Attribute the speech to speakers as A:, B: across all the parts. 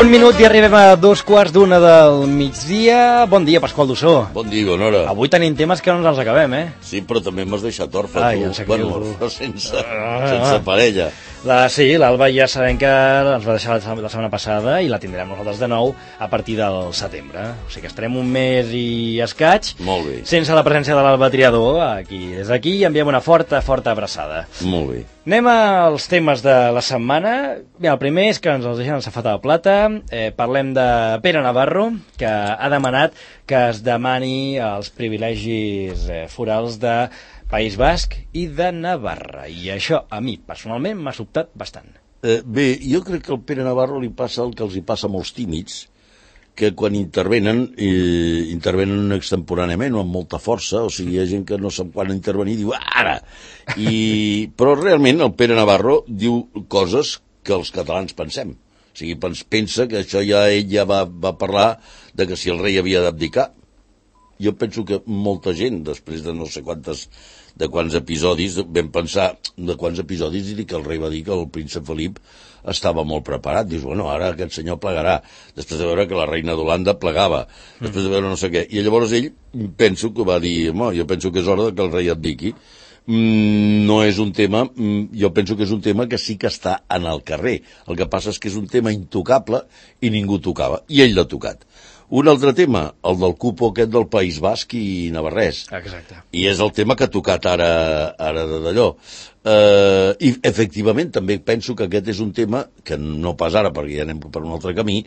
A: Un minut i arribem a 2:15 del migdia. Bon dia, Pasqual Dussó.
B: Bon dia, bona hora.
A: Avui tenim temes que no ens els acabem,
B: Sí, però també m'has deixat orfe,
A: Ai,
B: tu.
A: em sap
B: Bueno,
A: greu.
B: orfe sense parella.
A: Sí, l'Alba ja sabem que ens va deixar la setmana passada i la tindrem nosaltres de nou a partir del setembre. O sigui que estarem un mes i escaig
B: Molt bé.
A: sense la presència de l'Alba Triador aquí. Des d'aquí enviem una forta abraçada.
B: Molt bé.
A: Anem als temes de la setmana. Bé, el primer és que ens els deixen al safata de plata. Parlem de Pere Navarro, que ha demanat que es demani els privilegis forals de País Basc i de Navarra. I això, a mi, personalment, m'ha sobtat bastant.
B: Bé, jo crec que al Pere Navarro li passa el que els hi passa a molts tímids, que quan intervenen extemporàniament o amb molta força, o sigui, hi ha gent que no sap quan intervenir i diu ara! Però realment el Pere Navarro diu coses que els catalans pensem. O sigui, pensa que això ell ja va parlar de que si el rei havia d'abdicar. Jo penso que molta gent, després de no sé quants episodis, vam pensar de quants episodis i que el rei va dir que el príncep Felip estava molt preparat. Dius, bueno, ara aquest senyor plegarà, després de veure que la reina d'Holanda plegava, després de veure no sé què. I llavors ell penso que va dir, jo penso que és hora que el rei abdiqui. No és un tema, jo penso que és un tema que sí que està en el carrer. El que passa és que és un tema intocable i ningú tocava, i ell l'ha tocat. Un altre tema, el del cupo aquest del País Basc i Navarrès.
A: Exacte.
B: I és el tema que ha tocat ara d'allò. I efectivament també penso que aquest és un tema que no pas ara perquè ja anem per un altre camí,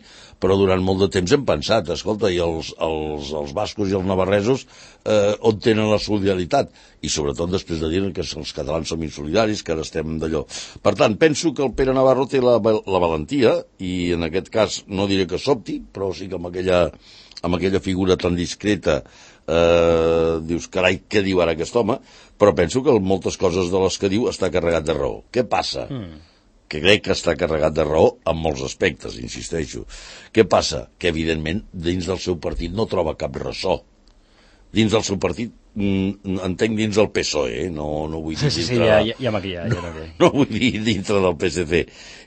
B: però durant molt de temps hem pensat, escolta, i els bascos i els navarresos on tenen la solidaritat? I sobretot després de dir que els catalans som insolidaris, que ara estem d'allò. Per tant, penso que el Pere Navarro té la valentia, i en aquest cas no diré que sobti, però sí que amb aquella figura tan discreta dius, carai, què diu ara aquest home? Però penso que moltes coses de les que diu està carregat de raó. Què passa? Que crec que està carregat de raó en molts aspectes, insisteixo. Què passa? Que, evidentment, dins del seu partit no troba cap ressò. Dins del seu partit, entenc dins del PSOE, no vull dir no vull dir dintre del PSC.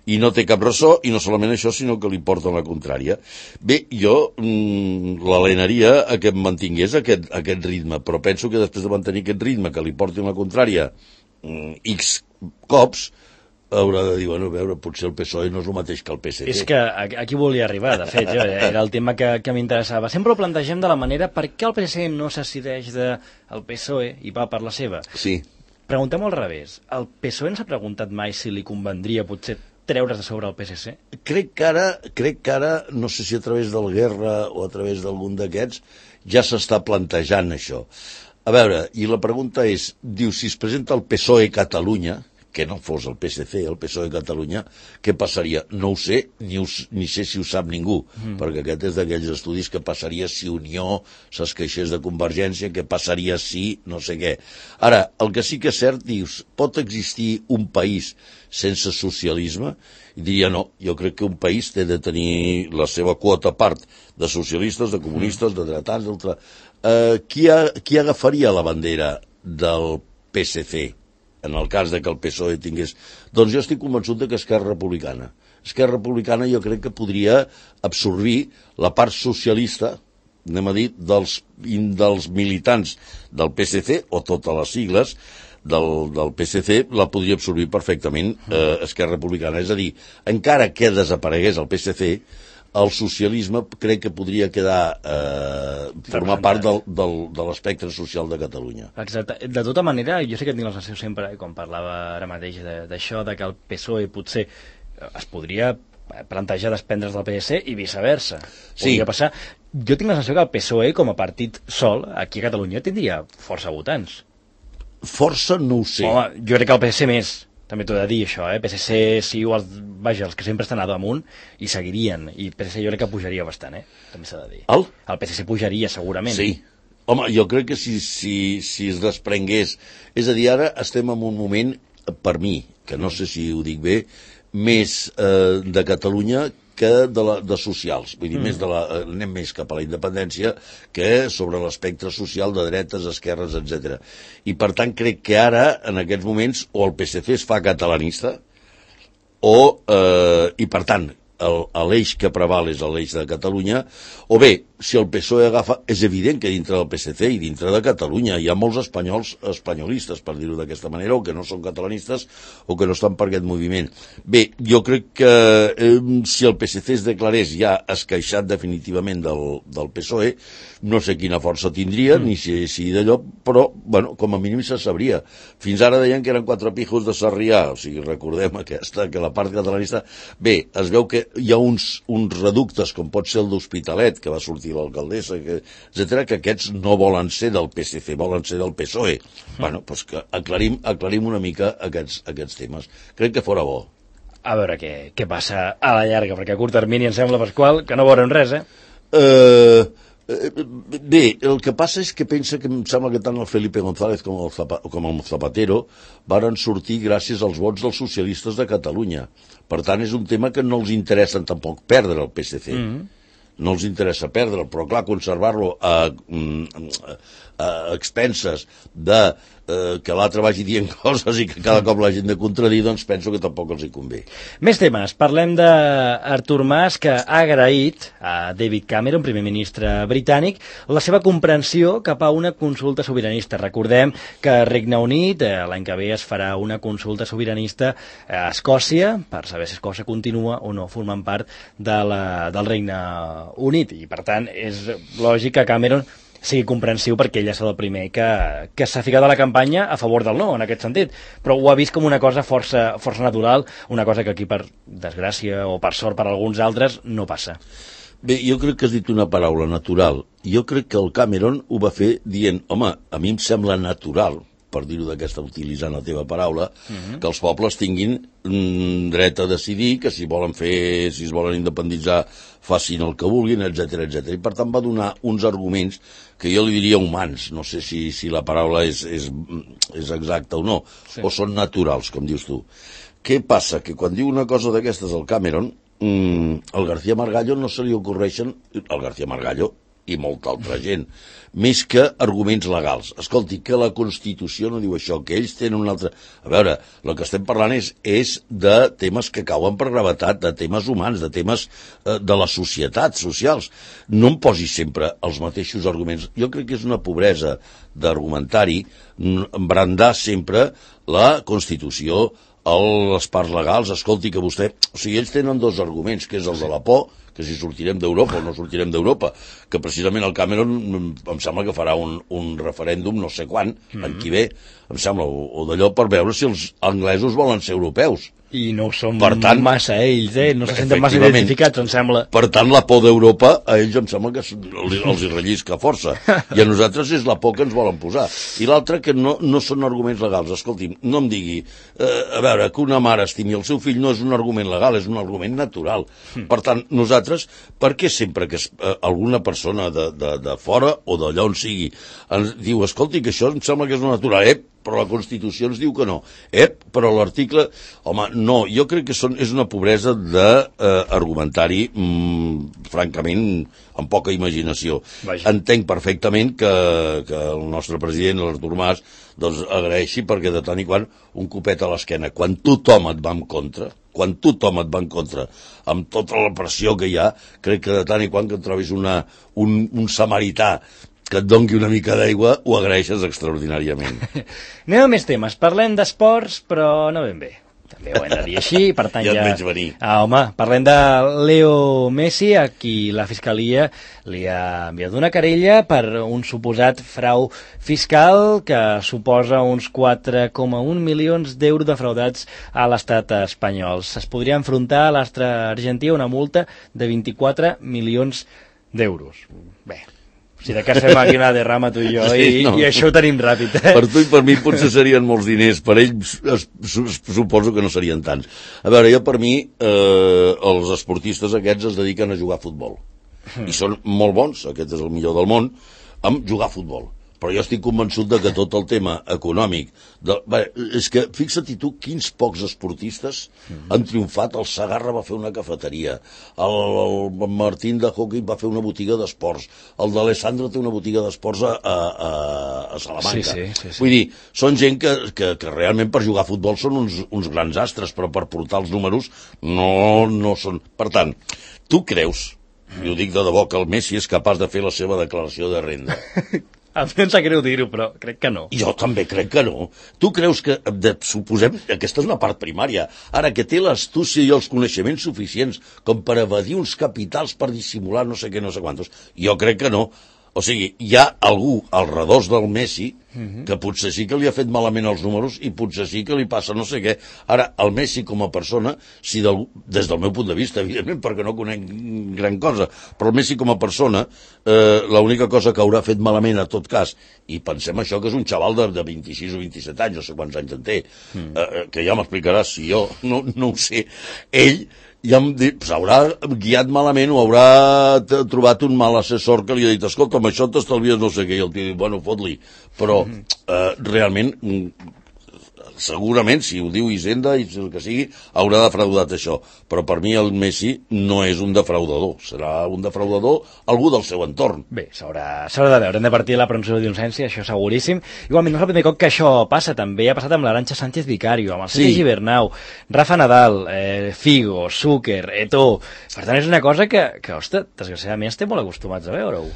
B: I no té cap ressò, i no solament això, sinó que li porten la contrària. Bé, jo l'alenaria a que mantingués aquest ritme, però penso que després de mantenir aquest ritme, que li portin la contrària X cops, haurà de dir, bueno, a veure, potser el PSOE no és el mateix que el PSC.
A: És que aquí volia arribar, de fet, era el tema que m'interessava. Sempre ho plantegem de la manera per què el PSC no s'assideix del PSOE i va per la seva.
B: Sí.
A: Preguntem al revés. El PSOE no s'ha preguntat mai si li convendria potser treure's de sobre el PSC?
B: Crec que ara, no sé si a través del Guerra o a través d'algun d'aquests, ja s'està plantejant això. A veure, i la pregunta és, diu, si es presenta el PSOE Catalunya, que no fos el PSC, el PSOE Catalunya, què passaria? No ho sé, ni sé si ho sap ningú, perquè aquest és d'aquells estudis que passaria si Unió s'esqueixés de Convergència, què passaria si no sé què. Ara, el que sí que és cert, dius, pot existir un país sense socialisme? I diria no, jo crec que un país té de tenir la seva quota part de socialistes, de comunistes, de dretans, qui agafaria la bandera del PSC? En el cas de que el PSOE tingués... Doncs jo estic convençut que Esquerra Republicana. Esquerra Republicana jo crec que podria absorbir la part socialista, anem a dir, dels militants del PSC, o totes les sigles del PSC, la podria absorbir perfectament Esquerra Republicana. És a dir, encara que desaparegués el PSC, el socialisme crec que podria formar part de l'espectre social de Catalunya.
A: Exacte. De tota manera, jo sé que tinc la sensació sempre, quan parlava ara mateix d'això, de que el PSOE potser es podria plantejar desprendre's del PSC i viceversa. Podria passar. Jo tinc la sensació que el PSOE, com a partit sol, aquí a Catalunya, tindria força votants.
B: Força no ho sé.
A: Home, jo crec que el PSC més. També t'ho he de dir, això, PSC, sí, els que sempre estan a damunt, i seguirien. I PSC jo crec que pujaria bastant, també s'ha de dir. El PSC pujaria, segurament.
B: Sí. Home, jo crec que si es desprengués... És a dir, ara estem en un moment, per mi, que no sé si ho dic bé, més de Catalunya que de socials. Vull dir, anem més cap a la independència que sobre l'espectre social de dretes, esquerres, etc. I per tant crec que ara, en aquests moments, o el PSC es fa catalanista, i per tant l'eix que preval és l'eix de Catalunya, o bé, si el PSOE agafa, és evident que dintre del PSC i dintre de Catalunya hi ha molts espanyols espanyolistes, per dir-ho d'aquesta manera, o que no són catalanistes o que no estan per aquest moviment. Bé, jo crec que si el PSC es declarés ja esqueixat definitivament del PSOE, no sé quina força tindria, ni si d'allò, però, bueno, com a mínim se sabria. Fins ara deien que eren 4 pijos de Sarrià, o sigui, recordem aquesta, que la part catalanista... Bé, es veu que hi ha uns reductes, com pot ser el d'Hospitalet, que va sortir l'alcaldessa, etcètera, que aquests no volen ser del PSC, volen ser del PSOE. Bueno, doncs que aclarim una mica aquests temes. Crec que fora bo.
A: A veure què passa a la llarga, perquè a curt termini em sembla, Pasqual, que no veurem res,
B: Bé, el que passa és que pensa que em sembla que tant el Felipe González com el Zapatero varen sortir gràcies als vots dels socialistes de Catalunya. Per tant, és un tema que no els interessa tampoc perdre el PSC. No els interessa perdre'l, però clar, conservar-lo a expenses de que l'altre vagi dient coses i que cada cop l'hagin de contradir, doncs penso que tampoc els hi convé.
A: Més temes. Parlem d'Artur Mas, que ha agraït a David Cameron, primer ministre britànic, la seva comprensió cap a una consulta sobiranista. Recordem que a Regne Unit l'any que ve es farà una consulta sobiranista a Escòcia, per saber si Escòcia continua o no formant part del Regne Unit. I, per tant, és lògic que Cameron sigui comprensiu perquè ell és el primer que s'ha ficat a la campanya a favor del no, en aquest sentit. Però ho ha vist com una cosa força natural, una cosa que aquí, per desgràcia o per sort per alguns altres, no passa.
B: Bé, jo crec que has dit una paraula, natural. Jo crec que el Cameron ho va fer dient, home, a mi em sembla natural, per dir-ho d'aquesta, utilitzant la teva paraula, que els pobles tinguin dret a decidir, que si es volen independitzar, facin el que vulguin, etcètera. I per tant va donar uns arguments que jo li diria humans, no sé si la paraula és exacta o no, o són naturals, com dius tu. Què passa? Que quan diu una cosa d'aquestes al Cameron, al García Margallo no se li ocorreixen, al García Margallo i molta altra gent, més que arguments legals. Escolti, que la Constitució no diu això, que ells tenen un altre... A veure, el que estem parlant és de temes que cauen per gravetat, de temes humans, de temes de la societat, socials. No em posi sempre els mateixos arguments. Jo crec que és una pobresa d'argumentari brandar sempre la Constitució, les parts legals. Escolti, que vostè... O sigui, ells tenen 2 arguments, que és el de la por, que si sortirem d'Europa o no sortirem d'Europa, que precisament el Cameron em sembla que farà un referèndum no sé quan, en qui ve, em sembla, o d'allò per veure si els anglesos volen ser europeus.
A: I no ho són massa ells, no se senten massa identificats, em sembla.
B: Per tant, la por d'Europa, a ells em sembla que els hi rellisca força. I a nosaltres és la por que ens volen posar. I l'altre, que no són arguments legals. Escolti'm, no em digui, a veure, que una mare estimi el seu fill no és un argument legal, és un argument natural. Per tant, nosaltres, per què sempre que alguna persona de fora o d'allà on sigui ens diu, escolti, que això em sembla que és natural, però la Constitució ens diu que no. Però l'article... Home, no, jo crec que és una pobresa d'argumentari, francament, amb poca imaginació. Vaja. Entenc perfectament que el nostre president, l'Artur Mas, doncs agraeixi perquè de tant i quan un copet a l'esquena. Quan tothom et va en contra, amb tota la pressió que hi ha, crec que de tant i quan que et trobis un samarità que et doni una mica d'aigua, ho agraeixes extraordinàriament.
A: Anem a més temes. Parlem d'esports, però no ben bé. També ho hem de dir així, per tant
B: ja... Ja et veig venir.
A: Home, parlem de Leo Messi, a qui la Fiscalia li ha enviat una querella per un suposat frau fiscal que suposa uns 4,1 milions d'euros defraudats a l'estat espanyol. Es podria enfrontar a l'astre argentí una multa de 24 milions d'euros. Bé, si de cas fem aquí una derrama tu i jo, i això ho tenim ràpid.
B: Per tu i per mi potser serien molts diners, per ells suposo que no serien tants. A veure, jo per mi els esportistes aquests es dediquen a jugar a futbol. I són molt bons, aquest és el millor del món, amb jugar a futbol. però jo estic convençut de que tot el tema econòmic... és que, fixa't tu, quins pocs esportistes han triomfat. El Segarra va fer una cafeteria, el Martín de hockey va fer una botiga d'esports, el d'Alessandro té una botiga d'esports a Salamanca.
A: Sí.
B: Vull dir, són gent que realment per jugar a futbol són uns grans astres, però per portar els números no són... Per tant, tu creus, i ho dic de debò, que el Messi és capaç de fer la seva declaració de renda?
A: A mi em sap greu dir-ho, però crec que no.
B: Jo també crec que no. Tu creus que, suposem, aquesta és una part primària, ara que té l'astúcia i els coneixements suficients com per evadir uns capitals per dissimular no sé què, no sé quantos? Jo crec que no. O sigui, hi ha algú al redós del Messi que potser sí que li ha fet malament els números i potser sí que li passa no sé què. Ara, el Messi com a persona, si des del meu punt de vista, evidentment, perquè no conec gran cosa, però el Messi com a persona, l'única cosa que haurà fet malament a tot cas, i pensem això que és un xaval de 26 o 27 anys, no sé quants anys en té, que ja m'explicaràs si jo no ho sé, ell ja s'haurà guiat malament o haurà trobat un mal assessor que li ha dit, escolta, amb això t'estalvies no sé què, i el tio diu, bueno, fot-li. Però realment, segurament, si ho diu Hisenda i el que sigui, haurà defraudat això. Però per mi el Messi no és un defraudador, serà un defraudador algú del seu entorn.
A: Bé, s'haurà de veure, hem de partir de la presumpció d'innocència, això seguríssim. Igualment, no és el primer cop que això passa, també ha passat amb l'Arantxa Sánchez Vicario, amb el Sergi Gibernau, Rafa Nadal, Figo, Zucker, Eto'o. Per tant, és una cosa que ostres, desgraciadament estem molt acostumats a veure-ho.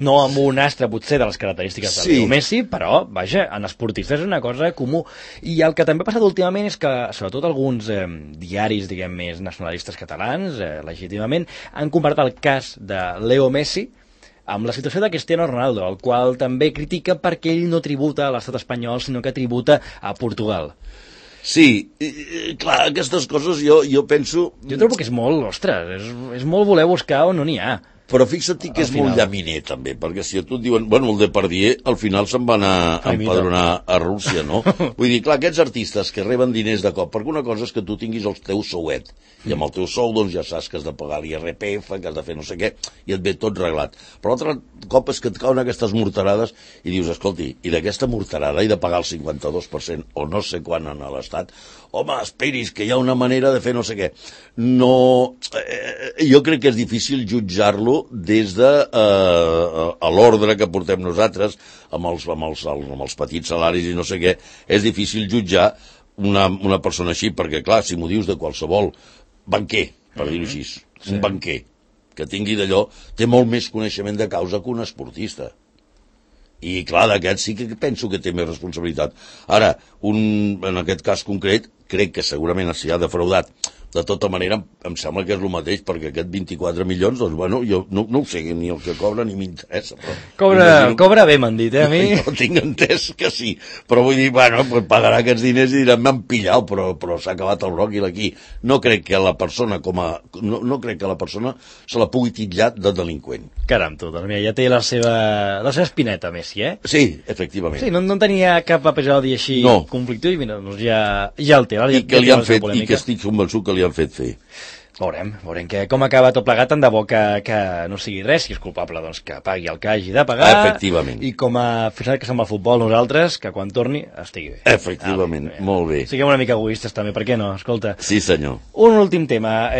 A: No amb un astre, potser, de les característiques de Leo Messi, però, vaja, en esportistes és una cosa comú. I el que també ha passat últimament és que, sobretot alguns diaris, diguem, més nacionalistes catalans, legítimament, han comparat el cas de Leo Messi amb la situació de Cristiano Ronaldo, el qual també critica perquè ell no tributa a l'estat espanyol, sinó que tributa a Portugal.
B: Sí, clar, aquestes coses jo penso...
A: Jo trobo que és molt, ostres, és molt voler buscar on no n'hi ha.
B: Però fixa't que és molt llaminer, també, perquè si a tu et diuen, bueno, el Depardieu al final se'n va anar a empadronar a Rússia, no? Vull dir, clar, aquests artistes que reben diners de cop, perquè una cosa és que tu tinguis el teu souet, i amb el teu sou, doncs, ja saps que has de pagar l'IRPF, que has de fer no sé què, i et ve tot reglat. Però l'altre cop és que et cauen aquestes morterades i dius, escolti, i d'aquesta morterada he de pagar el 52% o no sé quan en l'Estat, home, esperis, que hi ha una manera de fer no sé què. No... jo crec que és difícil jutjar-lo des de l'ordre que portem nosaltres amb els petits salaris i no sé què. És difícil jutjar una persona així, perquè clar, si m'ho dius de qualsevol banquer, per dir-ho així, un banquer que tingui d'allò, té molt més coneixement de causa que un esportista. I clar, d'aquest sí que penso que té més responsabilitat. Ara, en aquest cas concret, crec que segurament s'hi ha defraudat. De tota manera, em sembla que és el mateix, perquè aquest 24 milions, doncs, bueno, jo no ho sé ni el que cobra ni m'interessa.
A: Cobra bé, m'han dit, a mi.
B: Jo tinc entès que sí, però vull dir, bueno, pues pagarà aquests diners i diran, m'han pillat, però s'ha acabat el bròquil aquí. No crec que la persona no crec que la persona se la pugui titllar de delinqüent.
A: Caram, tu, doncs mira, ja té la seva espineta, Messi, eh?
B: Sí, efectivament.
A: Sí, no tenia cap episodi així conflictiu i mira, doncs ja el té.
B: I que li han fet, i que estic convençut que li han fet fer.
A: Veurem com acaba tot plegat, tant de bo que no sigui res, si és culpable, doncs que pagui el que hagi de pagar.
B: Efectivament.
A: I com a aficionat que som al futbol nosaltres, que quan torni estigui bé.
B: Efectivament, molt bé.
A: Siguem una mica egoistes també, per què no? Escolta.
B: Sí, senyor.
A: Un últim tema.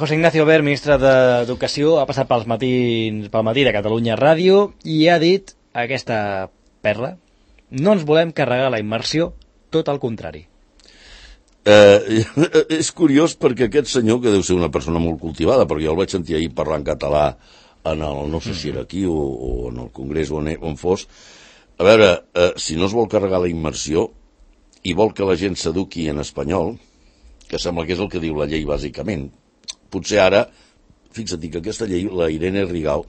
A: José Ignacio Wert, ministre d'Educació, ha passat pel matí de Catalunya Ràdio i ha dit aquesta perla: no ens volem carregar la immersió, tot al contrari.
B: És curiós perquè aquest senyor, que deu ser una persona molt cultivada, perquè jo el vaig sentir ahir parlar en català no sé si era aquí o en el Congrés on fos, a veure, si no es vol carregar la immersió i vol que la gent s'eduqui en espanyol, que sembla que és el que diu la llei bàsicament, potser ara, fixa't que aquesta llei, la Irene Rigau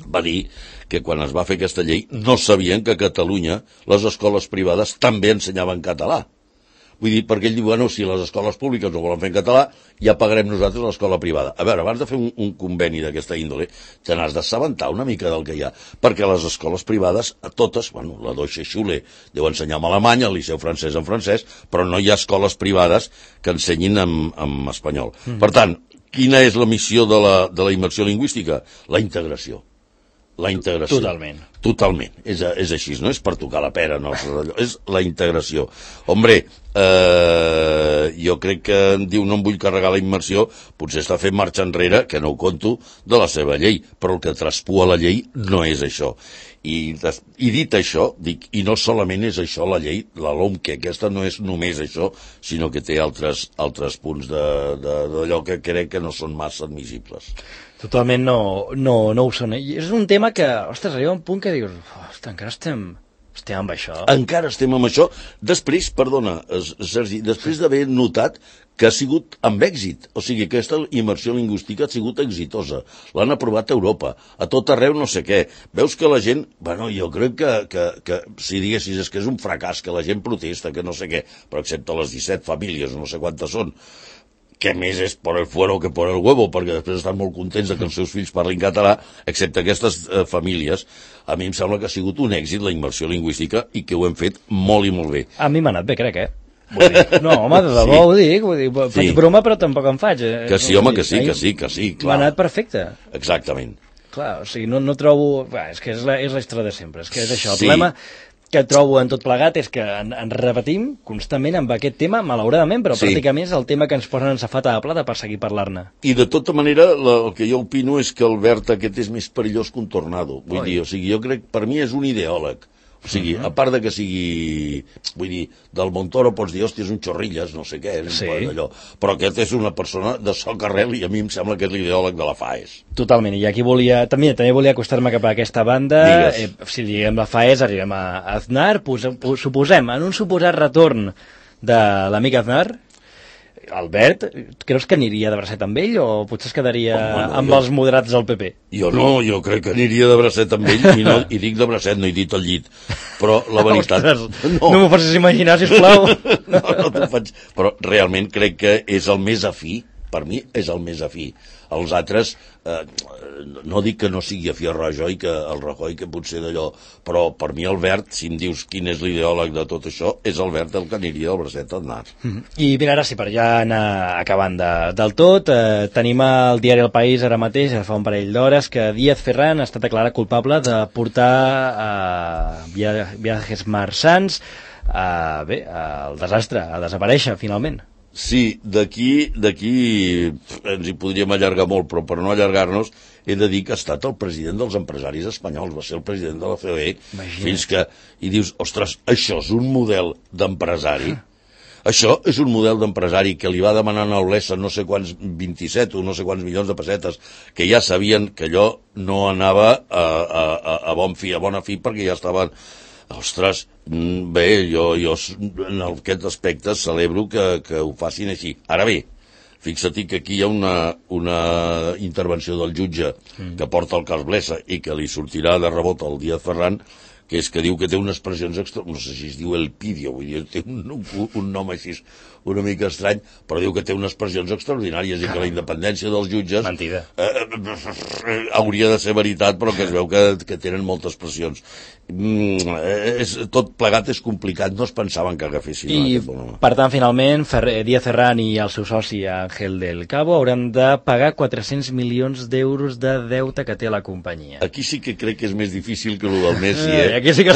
B: va dir que quan es va fer aquesta llei no sabien que a Catalunya les escoles privades també ensenyaven català. Vull dir, perquè ell diu, bueno, si les escoles públiques no volen fer en català, ja pagarem nosaltres l'escola privada. A veure, abans de fer un conveni d'aquesta índole, te n'has d'assabentar una mica del que hi ha, perquè les escoles privades, a totes, bueno, la Deutsche Schule deu ensenyar en alemany, el Liceu francès en francès, però no hi ha escoles privades que ensenyin en espanyol. Per tant, quina és la missió de la immersió lingüística? La integració. La integració.
A: Totalment.
B: Totalment, és així, no és per tocar la pera, no, és la integració. Hombre, jo crec que diu no em vull carregar la immersió, potser està fent marxa enrere, que no ho conto, de la seva llei, però el que traspua la llei no és això. I dit això, dic, i no solament és això la llei, la LOM, que aquesta no és només això, sinó que té altres punts d'allò que crec que no són massa admissibles.
A: Totalment no ho són. I és un tema que, ostres, arriba un punt que dius, ostres, encara estem amb això.
B: Encara estem amb això. Després, perdona, Sergi, després d'haver notat que ha sigut amb èxit. O sigui, aquesta immersió lingüística ha sigut exitosa. L'han aprovat a Europa. A tot arreu no sé què. Veus que la gent... Bueno, jo crec que si diguessis és que és un fracàs, que la gent protesta, que no sé què, però excepte les 17 famílies, no sé quantes són, que més és por el fuero que por el huevo, perquè després estan molt contents de que els seus fills parlin català, excepte aquestes famílies, a mi em sembla que ha sigut un èxit la immersió lingüística i que ho hem fet molt i molt bé.
A: A mi m'ha anat bé, crec, Vull dir, no, home, de debò ho dic, faig broma però tampoc en faig.
B: Que sí, home, que sí, clar.
A: M'ha anat perfecte.
B: Exactament.
A: Clar, o sigui, no trobo... És que és la història de sempre, és que és això. El problema que trobo en tot plegat és que ens repetim constantment amb aquest tema, malauradament, però pràcticament és el tema que ens posen en safata de plata per seguir parlar-ne.
B: I de tota manera, el que jo opino és que el verd aquest és més perillós que un tornado. Vull dir, o sigui, jo crec, per mi és un ideòleg. O sigui, a part de que sigui... Vull dir, del Montoro pots dir, hòstia, és un xorrilles, no sé què, allò. Però aquest és una persona de soc arrel i a mi em sembla que és l'ideòleg de la FAES.
A: Totalment, i aquí també volia acostar-me cap a aquesta banda. Si diguem la FAES, arribem a Aznar, suposem, en un suposat retorn de l'amic Aznar, Albert, creus que aniria de bracet amb ell o potser es quedaria amb els moderats del PP?
B: Jo crec que aniria de bracet amb ell i dic de bracet, no he dit al llit, però la veritat...
A: Ostres, no m'ho facis imaginar, sisplau.
B: No t'ho faig, però realment crec que és el més afí, per mi és el més afí. Els altres, no dic que no sigui afí a Rajoy, que el Rajoy, que potser d'allò, però per mi Albert, si em dius quin és l'ideòleg de tot això, és Albert el que aniria del bracet d'Aznar.
A: I mira, ara sí, per ja anar acabant del tot, tenim al diari El País ara mateix, fa un parell d'hores, que Díaz Ferran ha estat declarat culpable de portar viatges marxants al desastre, a desaparèixer, finalment.
B: Sí, d'aquí ens hi podríem allargar molt, però per no allargar-nos he de dir que ha estat el president dels empresaris espanyols, va ser el president de la COE, fins que... I dius, ostres, això és un model d'empresari? Això és un model d'empresari que li va demanar a Olesa no sé quants 27 o no sé quants milions de pessetes, que ja sabien que allò no anava a bona fi, perquè ja estaven... Ostres, bé, jo en aquest aspecte celebro que ho facin així. Ara bé, fixa't que aquí hi ha una intervenció del jutge que porta el cas Blesa i que li sortirà de rebot al Díaz Ferran, que és que diu que té unes pressions no sé si es diu Elpidio, vull dir, té un nom així una mica estrany, però diu que té unes pressions extraordinàries i que la independència dels jutges hauria de ser veritat, però que es veu que tenen moltes pressions. Tot plegat és complicat, no es pensaven que agafessin aquest bonhome.
A: Per tant, finalment, Díaz Ferran i el seu soci Ángel del Cabo hauran de pagar 400 milions d'euros de deute que té la companyia.
B: Aquí sí que crec que és més difícil que el del Messi,
A: Aquí sí que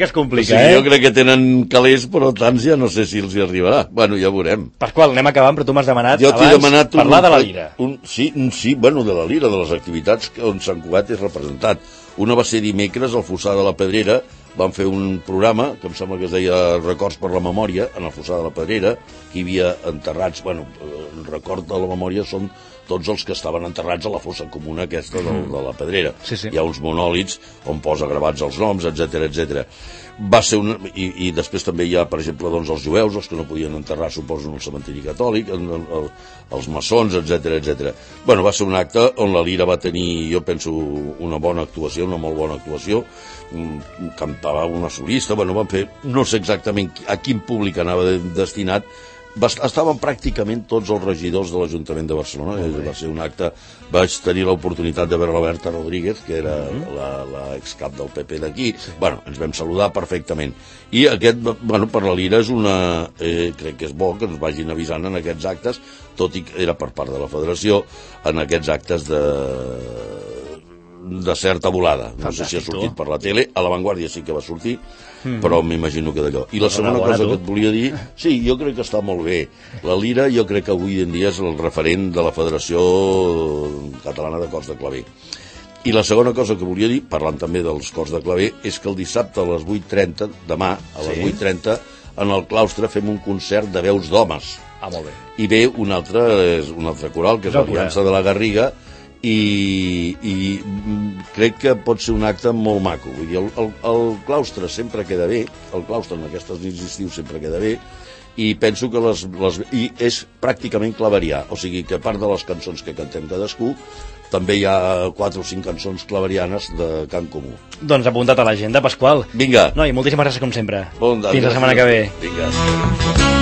A: es complica,
B: o sigui, jo crec que tenen calés, però tants ja no sé si els hi arribarà. Bueno, ja veurem.
A: Pasqual, anem acabant, però tu m'has demanat abans parlar de la Lira.
B: Sí, bueno, de la Lira, de les activitats on Sant Cugat és representat. Una va ser dimecres al Fossar de la Pedrera, van fer un programa que em sembla que es deia Records per la Memòria, en el Fossar de la Pedrera, que hi havia enterrats, bueno, el record de la memòria són tots els que estaven enterrats a la fossa comuna aquesta de la Pedrera.
A: Sí.
B: Hi ha uns monòlits on posa gravats els noms, etc. Va ser i després també hi ha, per exemple, doncs, els jueus, els que no podien enterrar, suposo, en el cementiri catòlic, els maçons, etc. Bueno, va ser un acte on la Lira va tenir, jo penso, una bona actuació, una molt bona actuació, cantava una solista, bueno, van fer, no sé exactament a quin públic anava destinat, estaven pràcticament tots els regidors de l'Ajuntament de Barcelona. Va ser un acte, vaig tenir l'oportunitat de veure la Berta Rodríguez, que era l'excap del PP d'aquí. Bueno, ens vam saludar perfectament. I aquest, bueno, per la Lira és crec que és bo que ens vagin avisant en aquests actes, tot i que era per part de la Federació, en aquests actes de certa volada. No sé si ha sortit per la tele, a La Vanguardia sí que va sortir, però m'imagino que d'allò. I la segona cosa que et volia dir, sí, jo crec que està molt bé. La lira jo crec que avui en dia és el referent de la Federació Catalana de Cors de Claver. I la segona cosa que volia dir, parlant també dels cors de claver, és que el dissabte a les 8:30, demà a les 8:30, en el claustre fem un concert de veus d'homes.
A: Molt bé.
B: I ve un altre coral, que és l'Aliança de la Garriga, i crec que pot ser un acte molt maco. Vull dir, el claustre sempre queda bé, el claustre en aquestes nits d'estiu sempre queda bé, i penso que i és pràcticament claverià, o sigui que a part de les cançons que cantem cadascú, també hi ha 4 o 5 cançons claverianes de cant comú.
A: Doncs apuntat a l'agenda, Pasqual.
B: Vinga.
A: No, i moltíssimes gràcies com sempre.
B: Bon dia.
A: Fins la setmana que ve.
B: Vinga.